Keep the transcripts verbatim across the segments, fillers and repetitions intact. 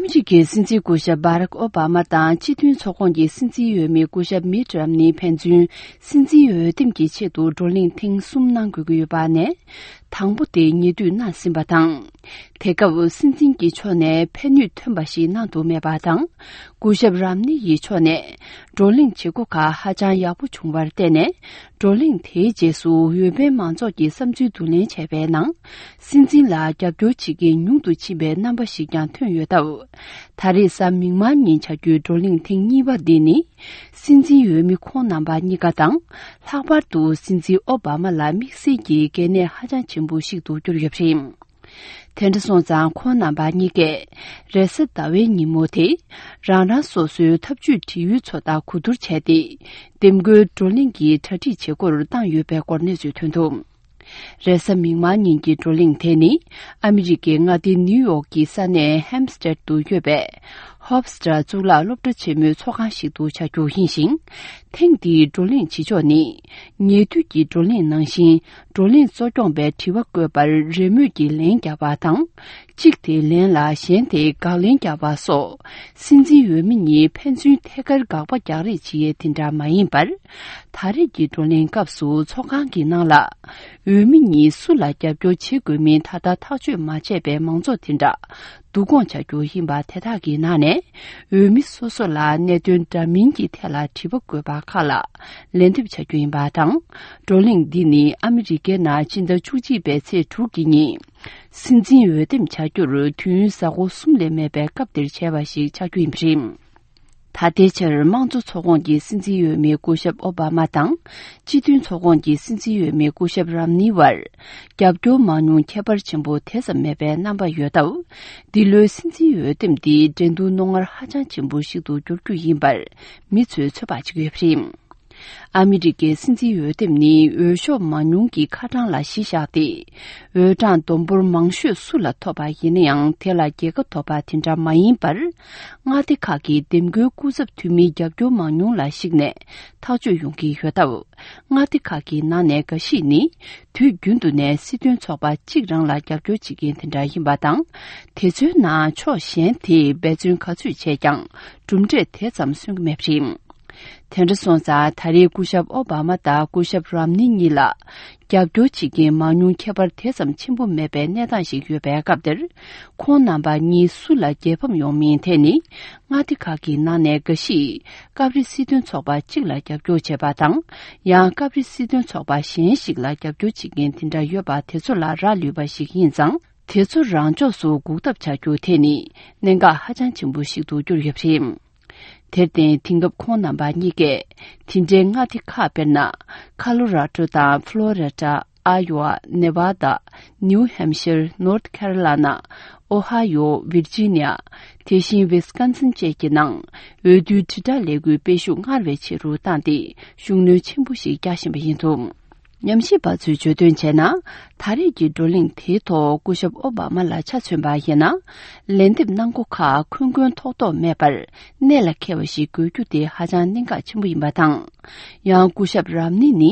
གཅིག་གི་སྲིད་འཛིན་སྐུ་ཞབས་བྷ་རག་ཨོ་བྷ་མ་དང་སྤྱི་མཐུན་ཚོགས་ཁོངས་ཀྱི་སྲིད་འཛིན་འོས་མི་སྐུ་ཞབས་མིད་རམ་ནི་ཕན་ཚུན་སྲིད་འཛིན་འོས་འདེམས་ཀྱི་ཆེད་དུ་བགྲོ་གླེང་ཐེངས་གསུམ་གནང་དགོས་ཀྱི་ཡོད་པ་ནས། དང་པོ་དེ་ཉེ་དུས་གནང་ཟིན་པ་དང་། དེ་སྐབས་སྲིད་འཛིན་གྱི་ཕྱོགས་ནས་ཕན་ནུས་ཐོན་པ་ཞིག་གནང་འདུག་མེད་པ་དང་། སྐུ་ཞབས་རམ་ནི་ཡི་ཕྱོགས་ནས་བགྲོ་གླེང་བྱེད་སྒོ་ཁག་ཧ་ཅང་ཡག་པོ་བྱུང་བར་བརྟེན་ནས། བགྲོ་གླེང་དེའི་རྗེས་སུ་འོས་འཕེན་མང་ཚོགས་ཀྱི་བསམ་ཚུལ་བསྡུ་ལེན་བྱས་པའི་ནང་། སྲིད་འཛིན་ལ་རྒྱབ་སྐྱོར་བྱེད་མཁན་ཉུང་དུ་ཕྱིན་པའི་རྣམ་པ་ཞིག་ཀྱང་ཐོན་ཡོད་སྟབས། ད་རེས་གཟའ་མིག་དམར་ཉིན་བྱ་རྒྱུའི་བགྲོ་གླེང་ཐེངས་གཉིས་པ་འདི་ནི། སྲིད་འཛིན་འོས་མི་ཁོང་རྣམ་པ་གཉིས་ཀ་དང་། ལྷག་པར་དུ་སྲིད་འཛིན་ཨོ་བྷ་མ་ལ་དམིགས་བསལ་གྱི་གལ་གནད་ཧ་ཅང་ཆེན་པོ་ཞིག་ཏུ་གྱུར་ཡོད་པ་རེད། དེ་འདྲ་སོང་ཙང་ཁོང་རྣམ་པ་གཉིས་ཀས་རེས་གཟའ་ཟླ་བའི་ཉིན་མོ་དེ། རང་རང་སོ་སོའི་ཐབས་ཇུས་འབྲེལ་ཡོད་ཚོ་དང་གོ་བསྡུར་བྱས་ཏེ། འདེམས་བསྐོའི་བགྲོ་གླེང་གི་གྲ་སྒྲིག་བྱེད་སྒོར་བཏང་ཡོད་པའི་སྐོར་གནས་ཚུལ་ཐོན་འདུག་རེས་གཟའ་མིག་དམར་ཉིན་གྱི་བགྲོ་གླེང་དེ་ནི། ཨ་མི་རི་ཀའི་མངའ་སྡེ་ནིའུ་ཡོག་གི་ས་གནས་ཧེམ་སི་ཊེཌ་དུ་ཡོད་པའི། ཧོབ་སི་ཊར་གཙུག་ལག་སློབ་གྲྭ་ཆེན་མོའི་ཚོགས་ཁང་ཞིག་ཏུ་བྱ་རྒྱུ་ཡིན་ཞིང་། ཐེངས་འདིའི་བགྲོ་གླེང་བྱེད་ཕྱོགས་ནི། ཉེ་དུས་ཀྱི་བགྲོ་གླེང་ནང་བཞིན། བགྲོ་གླེང་གཙོ་སྐྱོང་པས་དྲི་བ་བཀོད་པར་རེས་མོས་ཀྱིས་ལན་བརྒྱབ་པ་དང་། གཅིག་དེའི་ལན་ལ་གཞན་དེས་དགག་ལན་བརྒྱབ་པ་སོགས། སྲིད་འཛིན་འོས་མི་གཉིས་ཕན་ཚུན་ཐད་ཀར་དགག་པ་རྒྱག་རེས་བྱེད་ཡས་དེ་འདྲ་མ་ཡིན་པར། ད་རེས་ཀྱི་བགྲོ་གླེང་སྐབས་སུ་ཚོགས་ཁང་གི་ནང་ལ། འོས་མི་གཉིས་སུ་ལ་རྒྱབ་སྐྱོར་བྱེད་དགོས་མིན་ད་ལྟ་ཐག་གཅོད་མ་བྱས་པའི་མང་ཚོགས་དེ་འདྲ། བསྡུ་སྐོང་བྱ་རྒྱུ་ཡིན་པ་དེ་དག་གི་ནང་ནས། འོས་མི་སོ་སོ་ལ་གནད་དོན་འདྲ་མིན་གྱི་ཐད་ལ་དྲི་བ་བཀོད་པ་ཁག་ལ་ལན་འདེབས་བྱ་རྒྱུ་ཡིན་པ་དང་། བགྲོ་གླེང་འདི་ནི་ཨ་མི་རི་ཀའི་ནང་སྤྱི་ཟླ་བཅུ་གཅིག་པའི་ཚེས་དྲུག་གི་ཉིན། སྲིད་འཛིན་འོས་འདེམས་བྱ་རྒྱུར་དུས་ཡུན་གཟའ་འཁོར་གསུམ་ལས་མེད་པའི་སྐབས་འདིར་བྱས་པ་ཞིག་ཆགས་རྒྱུ་ཡིན་པ་རེད། ད་ལྟའི་ཆར་དམངས་གཙོ་ཚོགས་ཁོངས་ཀྱི་སྲིད་འཛིན་འོས་མི་སྐུ་ཞབས་ཨོ་བྷ་མ་དང་། སྤྱི་མཐུན་ཚོགས་ཁོངས་ཀྱི་སྲིད་འཛིན་འོས་མི་སྐུ་ཞབས་རམ་ནི་བར། རྒྱབ་སྐྱོར་མང་ཉུང་ཁྱད་པར་ཆེན་པོ་དེ་ཙམ་མེད་པའི་རྣམ་པ་ཡོད་སྟབས། འདི་ལོའི་སྲིད་འཛིན་འོས་འདེམས་འདི་འགྲན་བསྡུར་རྣོ་ངར་ཧ་ཅང་ཆེན་པོ་ཞིག་ཏུ་འགྱུར་རྒྱུ་ཡིན་པར་མི་ཚོས་ཚོད་དཔག་བྱེད་ཀྱི་ཡོད་པ་རེད། ཨ་མི་རི་ཀའི་སྲིད་འཛིན་འོས་འདེམས་ནི་འོས་ཤོག་མང་ཉུང་གི་ཁ་གྲངས་ལ་གཞི་བཞག་སྟེ། འོས་གྲངས་བསྡོམས་འབོར་མང་ཤོས་སུ་ལ་ཐོབ་པ་ཡིན་ན་ཡང་དེ་ལ་རྒྱལ་ཁ་ཐོབ་པ་དེ་འདྲ་མ་ཡིན་པར། མངའ་སྡེ་ཁག་གི་འདེམས་བསྐོའི་སྐུ་ཚབ་འཐུས་མིའི་རྒྱབ་སྐྱོར་མང་ཉུང་ལ་གཞིགས་ནས་ཐག་གཅོད་ཡོང་གི་ཡོད་སྟབས། མངའ་སྡེ་ཁག་གི་ནང་ནས་འགའ་ཞིག་ནི། དུས་རྒྱུན་དུ་ནས་སྲིད་དོན་ཚོགས་པ་གཅིག་རང་ལ་རྒྱབ་སྐྱོར་བྱེད་མཁན་དེ་འདྲ་ཡིན་པ་དང་། དེ་ཚོའི་ནང་ཕྱོགས་གཞན་དེས་འབད་བརྩོན་ག་ཚོད་བྱས་ཀྱང་གྲུབ་འབྲས་དེ་ཙམ་སོན་གྱི་མེད་པ་རེད། དེ་འདྲ་སོང་ཙང་ད་རེས་སྐུ་ཞབས་ཨོ་བྷ་མ་དང་སྐུ་ཞབས་རམ་ནི་གཉིས་ལ་རྒྱབ་སྐྱོར་བྱེད་མཁན་མང་ཉུང་ཁྱད་པར་དེ་ཙམ་ཆེན་པོ་མེད་པའི་གནས་སྟངས་ཤིག་ཡོད་པའི་སྐབས་དེར། ཁོང་རྣམ་པ་གཉིས་སུ་ལ་རྒྱལ་ཕམ་ཡོང་མིན་དེ་ནི། མངའ་སྡེ་ཁག་གི་ནང་ནས་འགའ་ཞིག་སྐབས་རེ་སྲིད་དོན་ཚོགས་པ་གཅིག་ལ་རྒྱབ་སྐྱོར་བྱེད་པ་དང་། ཡང་སྐབས་རེ་སྲིད་དོན་ཚོགས་པ་གཞན་ཞིག་ལ་རྒྱབ་སྐྱོར་བྱེད་མཁན་དེ་འདྲ་ཡོད་པ་དེ་ཚོ་ལ་རག་ལུས་པ་ཞིག་ཡིན་ཙང་། དེ་ཚོ་རང་ཕྱོགས་སུ་འགུག་ཐབས་བྱ་རྒྱུ་དེ་ནི་གནད་འགག་ཧ་ཅང་ཆེན་པོ་ཞིག་ཏུ་གྱུར་ཡོད་པ་རེད། དེར་བརྟེན་དེང་སྐབས་ཁོང་རྣམ་པ་གཉིས་ཀས་དེ་འདྲའི་མངའ་སྡེ་ཁག་དཔེར་ན། ཁ་ལོ་ར་ཌོ་དང་ཕ་ལོ་རི་ཌ། ཨ་ཡོ་ཝ། ནེ་བྷ་ད། ནིའུ་ཧེམ་ཤར། ནོར་ཐ་ཁེ་རོ་ལ་ན། ཨོ་ཧ་ཡོ། ཝིར་ཇི་ནི་ཡ། དེ་བཞིན་ཝི་སི་ཀོན་སིན་བཅས་ཀྱི་ནང་འོས་བསྡུའི་དྲིལ་བསྒྲགས་ལས་འགུལ་སྤེལ་ཤུགས་སྔར་བས་ཆེ་རུ་བཏང་སྟེ་ཤུགས་སྣོན་ཆེན་པོ་ཞིག་རྒྱག་བཞིན་པ་ཡིན་འདུག་ཉམས་ཞིབ་པ་ཚོས་བརྗོད་དོན་བྱས་ན། ད་རེས་ཀྱི་བགྲོ་གླེང་དེའི་ཐོག་སྐུ་ཞབས་ཨོ་བྷ་མ་ལ་ཆ་མཚོན་པ་ཡིན་ན། ལན་འདེབས་གནང་སྒོ་ཁག་འཁོན་འཁོན་ཐོག་ཐོག་མེད་པར་གནད་ལ་འཁེལ་བ་ཞིག་དགོས་རྒྱུ་དེ་ཧ་ཅང་གནད་འགག་ཆེན་པོ་ཡིན་པ་དང་། ཡང་སྐུ་ཞབས་རམ་ནི་ནི་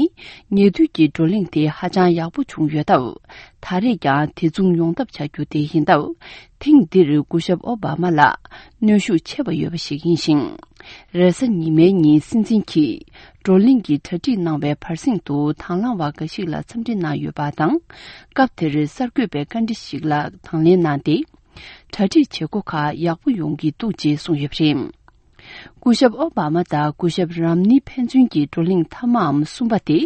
ཉེ་དུས་ཀྱི་བགྲོ་གླེང་དེ་ཧ་ཅང་ཡག་པོ་བྱུང་ཡོད་སྟབས། ད་རེས་ཀྱང་དེ་མཚུངས་ཡོང་ཐབས་བྱ་རྒྱུ་དེ་ཡིན་སྟབས། ཐེངས་འདིར་སྐུ་ཞབས་ཨོ་བྷ་མ་ལ་གནོན་ཤུགས་ཆེ་བ་ཡོད་པ་ཞིག་ཡིན་ཞིང་། རེས་གཟའ་ཉི་མའི་ཉིན་སྲིད་འཛིན་གྱིས་བགྲོ་གླེང་གི་གྲ་སྒྲིག་གནང་བའི་བར་གསེང་དུ་དང་བླངས་པ་འགའ་ཞིག་ལ་འཚམས་འདྲི་གནང་ཡོད་པ་དང་། སྐབས་དེར་གསར་འགོད་པའི་བཀའ་འདྲི་ཞིག་ལ་དང་ལེན་གནང་སྟེ། གྲ་སྒྲིག་བྱེད་སྒོ་ཁག་ཡག་པོ་ཡོང་གི་འདུག་ཅེས་གསུངས་ཡོད་པ་རེད། སྐུ་ཞབས་ཨོ་བྷ་མ་དང་སྐུ་ཞབས་རམ་ནི་ཕན་ཚུན་གྱི་བགྲོ་གླེང་མཐའ་མའམ་གསུམ་པ་དེ།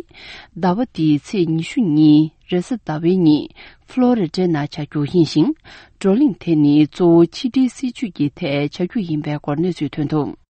ཟླ་བ་འདིའི་ཚེས་ཉི་ཤུ་ཉིན་རེས་གཟའ་ཟླ་བའི་ཉིན་ཕ་ལོ་རི་ཌའི་ནང་བྱ་རྒྱུ་ཡིན་ཞིང་། བགྲོ་གླེང་དེ་ནི་གཙོ་བོ་ཕྱི་འབྲེལ་སྲིད་ཇུས་ཀྱི་ཐད་བྱ་རྒྱུ་ཡིན་པའི་སྐོར་གནས་ཚུལ་ཐོན་འདུག